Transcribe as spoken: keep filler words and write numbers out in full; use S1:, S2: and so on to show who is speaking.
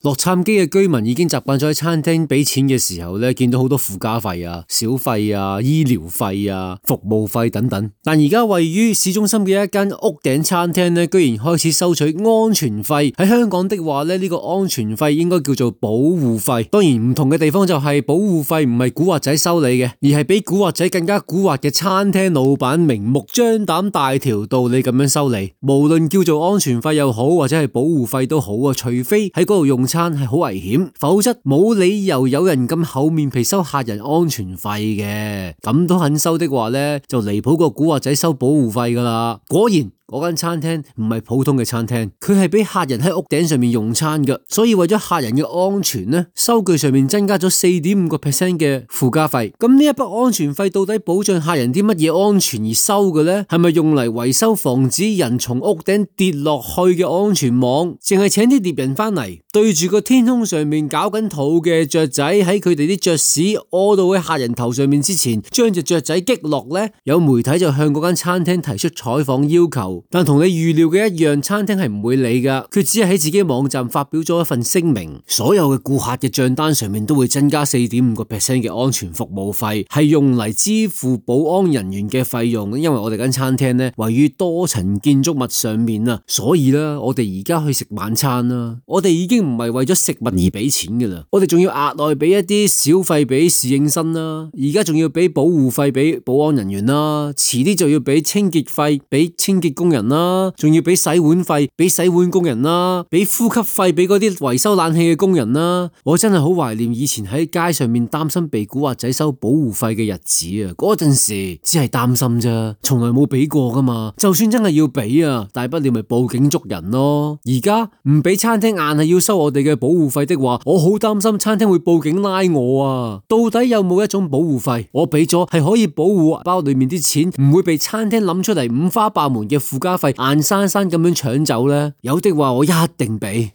S1: 洛杉磯嘅居民已經習慣咗喺餐廳俾錢嘅時候咧，見到好多附加費啊、小費啊、醫療費啊、服務費等等。但而家位於市中心嘅一間屋頂餐廳咧，居然開始收取安全費。喺香港的話咧，呢個安全費應該叫做保護費。當然唔同嘅地方就係保護費唔係古惑仔收你嘅，而係比古惑仔更加古惑嘅餐廳老闆明目張膽大條道理咁樣收你。無論叫做安全費又好，或者係保護費都好啊，除非喺嗰度用餐係好危險，否則冇理由有人咁厚面皮收客人安全費嘅。咁都肯收的話呢，就離譜過古惑仔收保護費噶啦。果然嗰間餐廳唔係普通嘅餐廳，佢係俾客人喺屋頂上面用餐嘅，所以為咗客人嘅安全呢，收據上面增加咗四點五個 percent 嘅附加費。咁呢一筆安全費到底保障客人啲乜嘢安全而收嘅呢？係咪用嚟維修防止人從屋頂跌落去嘅安全網？淨係請啲獵人翻嚟對住個天空上面搞緊肚嘅雀仔，喺佢哋啲雀屎屙到喺客人頭上面之前，將隻雀仔擊落呢？有媒體就向嗰間餐廳提出採訪要求。但同你預料嘅一樣，餐廳係唔會理噶，佢只係喺自己網站發表咗一份聲明，所有嘅顧客嘅賬單上面都會增加四點五個 percent 嘅安全服務費，係用嚟支付保安人員嘅費用。因為我哋間餐廳呢位於多層建築物上面啊，所以呢，我哋而家去食晚餐啦，我哋已經唔係為咗食物而俾錢噶啦，我哋仲要額外俾一啲小費俾侍應生啦，而家仲要俾保護費俾保安人員啦，遲啲就要俾清潔費俾清潔工人啦，仲要俾洗碗費俾洗碗工人啦，俾呼吸費俾嗰啲維修冷氣嘅工人啦。我真係好懷念以前喺街上面擔心被古惑仔收保護費嘅日子啊！嗰陣時只係擔心啫，從來冇俾過噶嘛。就算真係要俾啊，大不了咪報警捉人咯。而家唔俾餐廳硬係要收我哋嘅保護費的話，我好擔心餐廳會報警拉我啊！到底有冇一種保護費，我俾咗係可以保護包裏面啲錢唔會被餐廳諗出嚟五花八門嘅附加費硬生生咁樣搶走呢？有的話我一定俾。